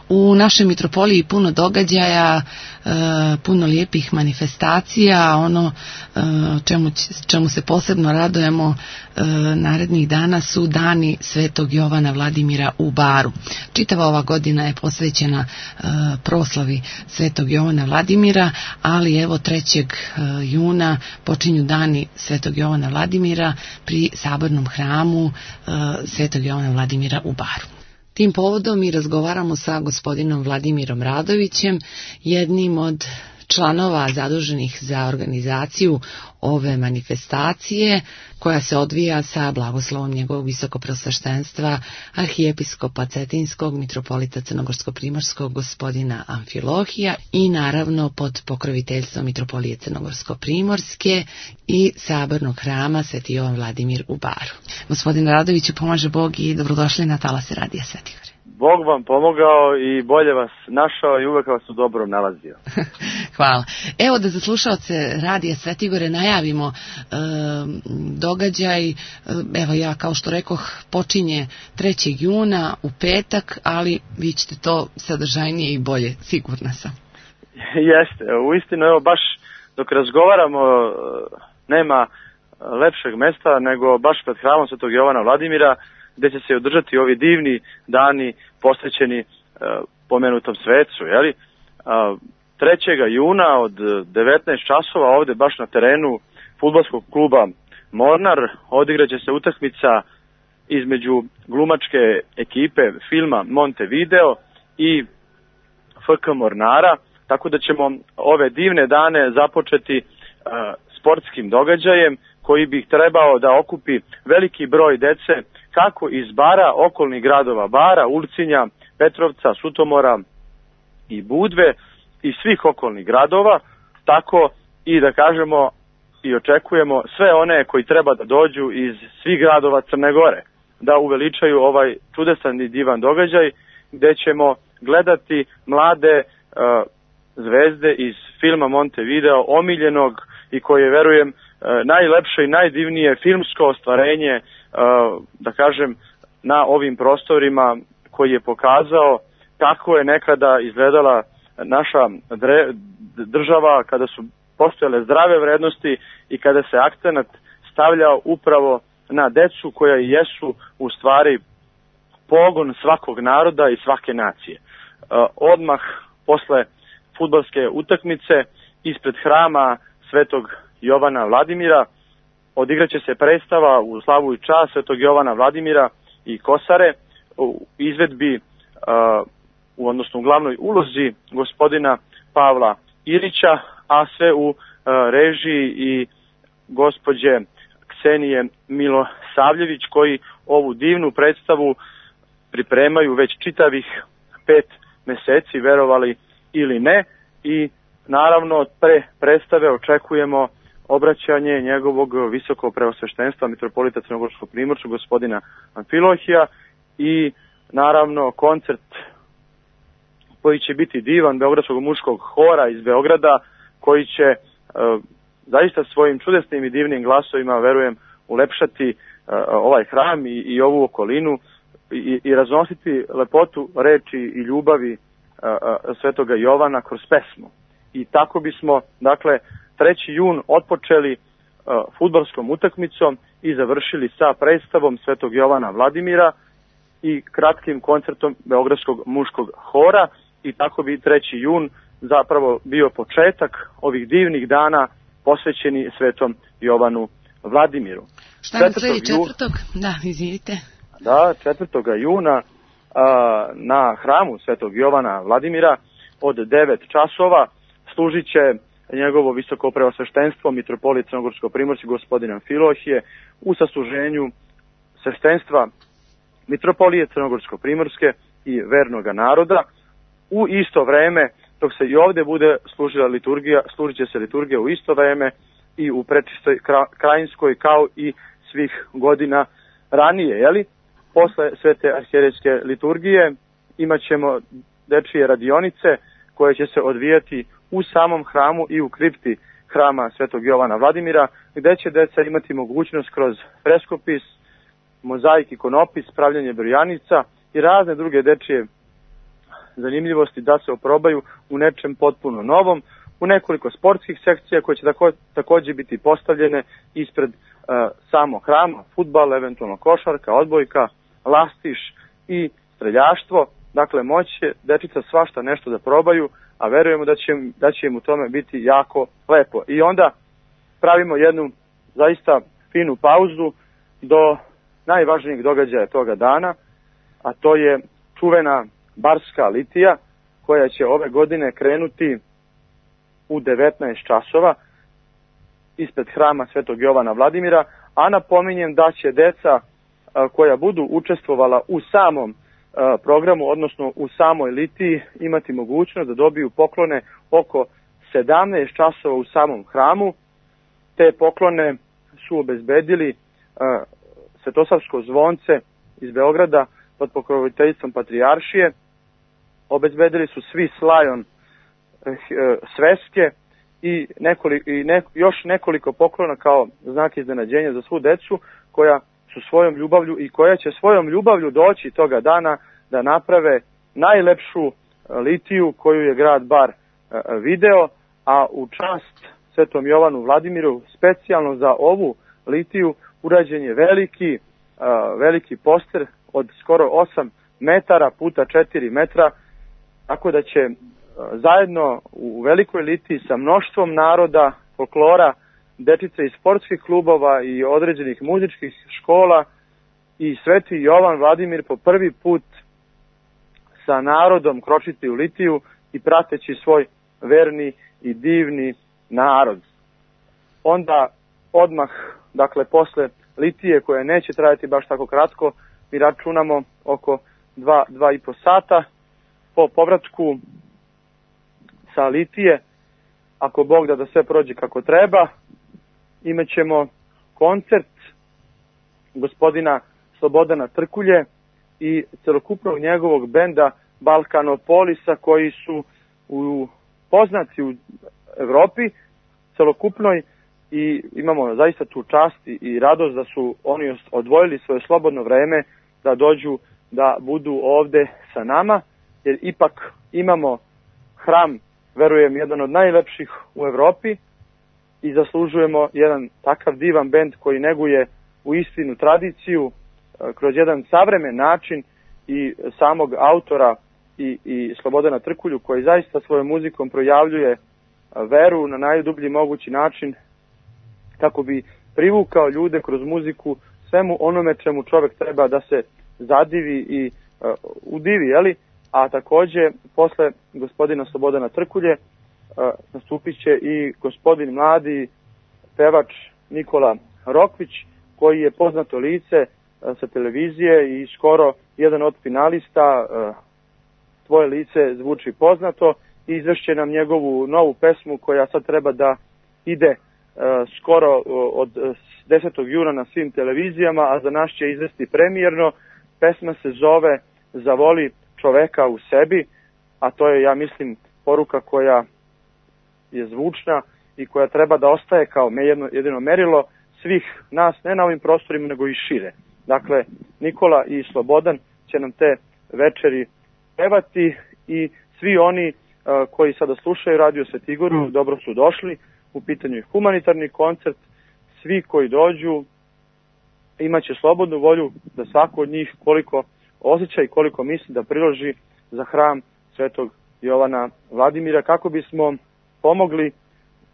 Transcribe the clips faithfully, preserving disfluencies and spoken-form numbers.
U našoj mitropoliji puno događaja, puno lijepih manifestacija. Ono čemu, čemu se posebno radujemo narednih dana su dani Svetog Jovana Vladimira u Baru. Čitava ova godina je posvećena proslavi Svetog Jovana Vladimira, ali evo trećeg juna počinju dani Svetog Jovana Vladimira pri Sabornom hramu Svetog Jovana Vladimira u Baru. Tim povodom mi razgovaramo sa gospodinom Vladimirom Radovićem, jednim od članova zaduženih za organizaciju ove manifestacije, koja se odvija sa blagoslovom njegovog visokopreosveštenstva arhijepiskopa Cetinskog mitropolita Crnogorsko-primorskog gospodina Amfilohija i naravno pod pokroviteljstvom mitropolije Crnogorsko-primorske i Sabornog hrama Sveti Jovan Vladimir u Baru. Gospodin Radoviću, pomaže Bog i dobrodošli na talase Radija Svetigore. Bog vam pomogao i bolje vas našao i uvek vas u dobrom nalazio. Hvala. Evo da za slušaoce Radija Svetigore najavimo e, događaj. Evo ja, kao što rekoh, počinje trećeg juna u petak, ali vi ćete to sadržajnije i bolje, sigurna sam. Jeste, uistinu, evo baš dok razgovaramo nema lepšeg mesta nego baš pred hramom Svetog Jovana Vladimira, gde će se održati ovi divni dani posvećeni uh, pomenutom svecu, jeli? Uh, trećeg juna od devetnaest časova ovde baš na terenu fudbalskog kluba Mornar odigraće se utakmica između glumačke ekipe filma Montevideo i F K Mornara, tako da ćemo ove divne dane započeti uh, sportskim događajem koji bi trebao da okupi veliki broj dece kako iz Bara, okolnih gradova Bara, Ulcinja, Petrovca, Sutomora i Budve i svih okolnih gradova, tako i da kažemo i očekujemo sve one koji treba da dođu iz svih gradova Crne Gore, da uveličaju ovaj čudesan i divan događaj gde ćemo gledati mlade uh, zvezde iz filma Montevideo, omiljenog i koje, verujem, najlepše i najdivnije filmsko ostvarenje, da kažem, na ovim prostorima, koji je pokazao kako je nekada izgledala naša država, kada su postojale zdrave vrednosti i kada se akcenat stavljao upravo na decu koja jesu u stvari pogon svakog naroda i svake nacije. Odmah posle fudbalske utakmice ispred hrama Svetog Jovana Vladimira odigraće se predstava u slavu i čast Svetog Jovana Vladimira i Kosare u izvedbi, uh, u, odnosno u glavnoj ulozi gospodina Pavla Ilića, a sve u uh, režiji i gospođe Ksenije Milosavljević, koji ovu divnu predstavu pripremaju već čitavih pet meseci, verovali ili ne, i naravno pre predstave očekujemo obraćanje njegovog visokopreosveštenstva mitropolita Crnogorsko-primorskog gospodina Amfilohija i naravno koncert koji će biti divan Beogradskog muškog hora iz Beograda, koji će e, zaista svojim čudesnim i divnim glasovima, verujem, ulepšati e, ovaj hram i, i ovu okolinu i, i raznositi lepotu reči i ljubavi e, e, Svetoga Jovana kroz pesmu. I tako bismo, dakle, treći jun otpočeli uh, fudbalskom utakmicom i završili sa predstavom Svetog Jovana Vladimira i kratkim koncertom Beogradskog muškog hora, i tako bi treći jun zapravo bio početak ovih divnih dana posvećeni Svetom Jovanu Vladimiru. Šta nam sledi četvrtog? Da, izvinite. Da, četvrtog juna uh, na hramu Svetog Jovana Vladimira od devet časova služit će njegovo visokopreosveštenstvo mitropolit Crnogorsko-primorski gospodin Amfilohije u sasluženju sveštenstva mitropolije Crnogorsko-primorske i vernoga naroda. U isto vreme, dok se i ovde bude služila liturgija, služit će se liturgija u isto vreme i u Prečistoj Krajinskoj, kao i svih godina ranije, jeli? Posle svete arhijerejske liturgije imat ćemo dečije radionice koje će se odvijati u samom hramu i u kripti hrama Svetog Jovana Vladimira, gde će deca imati mogućnost kroz freskopis, mozaik, ikonopis, pravljanje brojanica i razne druge dečije zanimljivosti da se oprobaju u nečem potpuno novom, u nekoliko sportskih sekcija koje će tako, također biti postavljene ispred uh, samog hrama, fudbal, eventualno košarka, odbojka, lastiš i streljaštvo. Dakle, moći će dečica svašta nešto da probaju, a verujemo da će, da će im u tome biti jako lepo. I onda pravimo jednu zaista finu pauzu do najvažnijeg događaja toga dana, a to je čuvena barska litija koja će ove godine krenuti u devetnaest časova ispred hrama Svetog Jovana Vladimira, a napominjem da će deca koja budu učestvovala u samom programu, odnosno u samoj litiji, imati mogućnost da dobiju poklone oko sedamnaest časova u samom hramu. Te poklone su obezbedili Svetosavsko zvonce iz Beograda pod pokroviteljstvom Patrijaršije. Obezbedili su svi slajon sveske i, nekoliko, i ne, još nekoliko poklona kao znak iznenađenja za svu decu koja su svojom ljubavlju i koja će svojom ljubavlju doći toga dana da naprave najlepšu litiju koju je grad Bar video, a u čast Svetom Jovanu Vladimiru specijalno za ovu litiju urađen je veliki, veliki poster od skoro osam metara puta četiri metra, tako da će zajedno u velikoj litiji sa mnoštvom naroda, folklora, dečice iz sportskih klubova i određenih muzičkih škola i Sveti Jovan Vladimir po prvi put sa narodom kročiti u litiju i prateći svoj verni i divni narod. Onda odmah, dakle posle litije koja neće trajati baš tako kratko, mi računamo oko dva, dva i po sata po povratku sa litije, ako Bog da da sve prođe kako treba, imat ćemo koncert gospodina Slobodana Trkulje i celokupnog njegovog benda Balkanopolisa koji su u, poznati u Evropi celokupnoj i imamo zaista tu čast i radost da su oni odvojili svoje slobodno vreme da dođu da budu ovde sa nama, jer ipak imamo hram, verujem, jedan od najlepših u Evropi i zaslužujemo jedan takav divan bend koji neguje u istinu tradiciju kroz jedan savremen način i samog autora i, i Slobodana Trkulju koji zaista svojom muzikom projavljuje veru na najdublji mogući način kako bi privukao ljude kroz muziku svemu onome čemu čovjek treba da se zadivi i uh, udivi, jeli? A takođe posle gospodina Slobodana Trkulje uh, nastupit će i gospodin mladi pevač Nikola Rokvić koji je poznato lice uh, sa televizije i skoro jedan od finalista uh, Tvoje lice zvuči poznato i izvešće nam njegovu novu pesmu koja sad treba da ide uh, skoro uh, od desetog juna na svim televizijama, a za nas će izvesti premijerno. Pesma se zove Zavoli čoveka u sebi, a to je, ja mislim, poruka koja je zvučna i koja treba da ostaje kao jedno, jedino merilo svih nas, ne na ovim prostorima, nego i šire. Dakle, Nikola i Slobodan će nam te večeri pevati i svi oni uh, koji sada slušaju Radio Svetigoru, mm. dobro su došli. U pitanju je humanitarni koncert. Svi koji dođu imaće slobodnu volju da svako od njih koliko osjeća i koliko misli da priloži za hram Svetog Jovana Vladimira kako bismo pomogli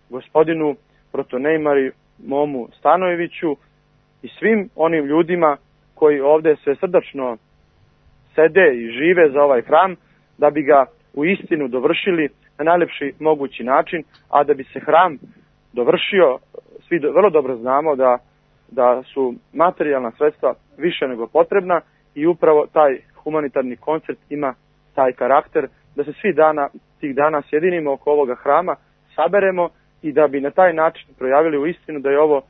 gospodinu protonejmari Momu Stanojeviću i svim onim ljudima koji ovde sve srdačno sede i žive za ovaj hram da bi ga u istinu dovršili na najlepši mogući način, a da bi se hram dovršio, svi do, vrlo dobro znamo da, da su materijalna sredstva više nego potrebna i upravo taj humanitarni koncert ima taj karakter da se svi dana, tih dana sjedinimo oko ovoga hrama, saberemo i da bi na taj način projavili u istinu da je ovo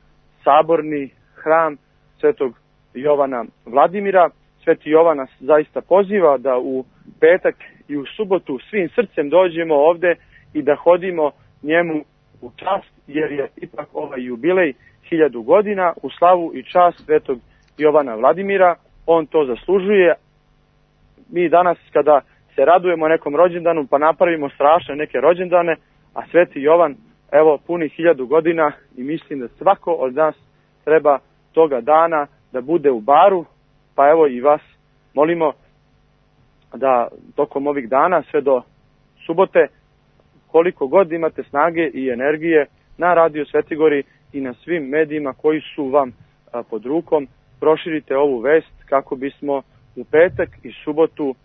saborni hram Svetog Jovana Vladimira. Sveti Jovan nas zaista poziva da u petak i u subotu svim srcem dođemo ovde i da hodimo njemu u čast, jer je ipak ovaj jubilej hiljadu godina u slavu i čast Svetog Jovana Vladimira. On to zaslužuje. Mi danas kada se radujemo nekom rođendanu pa napravimo strašne neke rođendane, a Sveti Jovan evo puni hiljadu godina i mislim da svako od nas treba toga dana da bude u baru, pa evo i vas molimo da tokom ovih dana sve do subote, koliko god imate snage i energije, na Radio Svetigori i na svim medijima koji su vam a, pod rukom, proširite ovu vest kako bismo u petak i subotu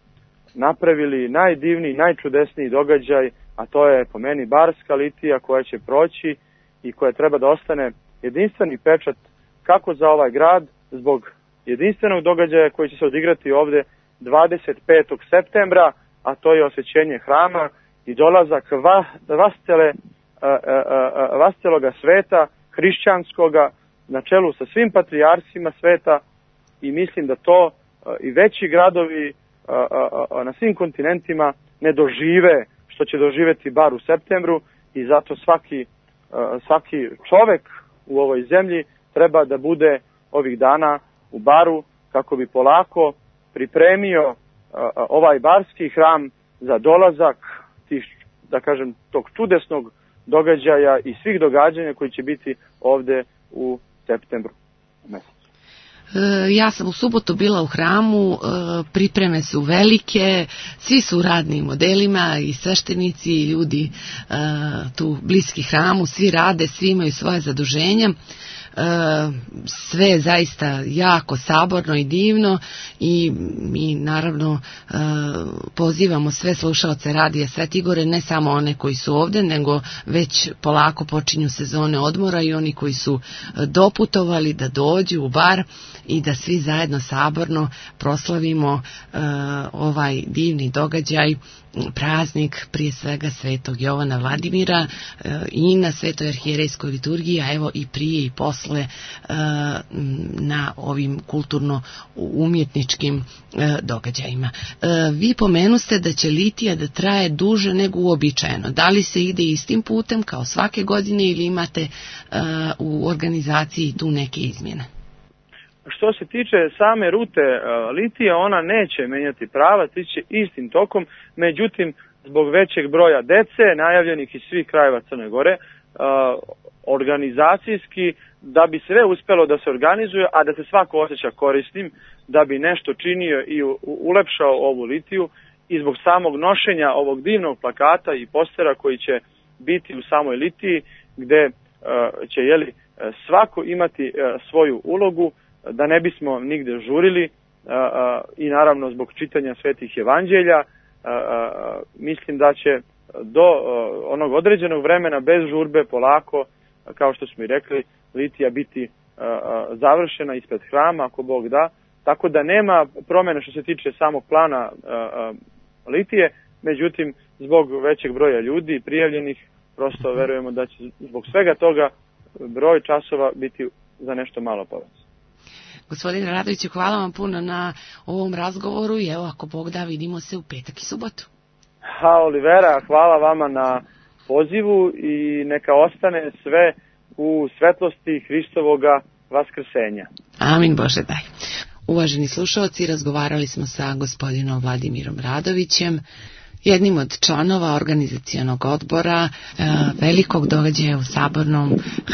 napravili najdivniji, najčudesniji događaj, a to je po meni barska litija koja će proći i koja treba da ostane jedinstveni pečat kako za ovaj grad, zbog jedinstvenog događaja koji će se odigrati ovde dvadeset petog septembra, a to je osvećenje hrama i dolazak va, vascele, vasceloga sveta, hrišćanskoga, na čelu sa svim patrijarsima sveta, i mislim da to i veći gradovi na svim kontinentima ne dožive što će doživeti bar u septembru, i zato svaki, svaki čovek u ovoj zemlji treba da bude ovih dana u baru kako bi polako pripremio ovaj barski hram za dolazak tih, da kažem, tog čudesnog događaja i svih događanja koji će biti ovde u septembru mesecu. Ja sam u subotu bila u hramu, pripreme su velike, svi su u radnim modelima, i sveštenici i ljudi tu bliski hramu, svi rade, svi imaju svoje zaduženja. Sve je zaista jako saborno i divno, i mi naravno pozivamo sve slušaoce Radija Svetigore, ne samo one koji su ovde, nego već polako počinju sezone odmora i oni koji su doputovali da dođu u bar i da svi zajedno saborno proslavimo ovaj divni događaj, praznik prije svega Svetog Jovana Vladimira i na Svetoj arhijerejskoj liturgiji, a evo i prije i posle na ovim kulturno-umjetničkim događajima. Vi pomenuste da će litija da traje duže nego uobičajeno. Da li se ide istim putem kao svake godine ili imate u organizaciji tu neke izmjene? Što se tiče same rute litije, ona neće menjati pravac, iće istim tokom, međutim, zbog većeg broja dece, najavljenih iz svih krajeva Crne Gore, organizacijski, da bi sve uspelo da se organizuje, a da se svako osjeća korisnim, da bi nešto činio i ulepšao ovu litiju, i zbog samog nošenja ovog divnog plakata i postera koji će biti u samoj litiji, gde će, jeli, svako imati svoju ulogu, da ne bismo nigde žurili, a, a, i naravno zbog čitanja svetih evanđelja, a, a, mislim da će do a, onog određenog vremena bez žurbe polako, a, kao što smo i rekli, litija biti a, a, završena ispred hrama, ako Bog da, tako da nema promjene što se tiče samog plana a, a, litije, međutim zbog većeg broja ljudi prijavljenih, prosto verujemo da će zbog svega toga broj časova biti za nešto malo povećan. Gospodine Radoviću, hvala vam puno na ovom razgovoru i evo, ako Bog da, vidimo se u petak i subotu. Ha, Olivera, hvala vama na pozivu i neka ostane sve u svetlosti Hristovoga vaskrsenja. Amin, Bože daj. Uvaženi slušalci, razgovarali smo sa gospodinom Vladimirom Radovićem, jednim od članova organizacionog odbora e, velikog događaja u sabornom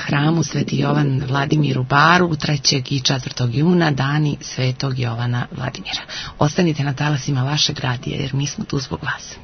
hramu Sveti Jovan Vladimir u Baru trećeg i četvrtog juna, dani Svetog Jovana Vladimira. Ostanite na talasima vašeg radija jer mi smo tu zbog vas.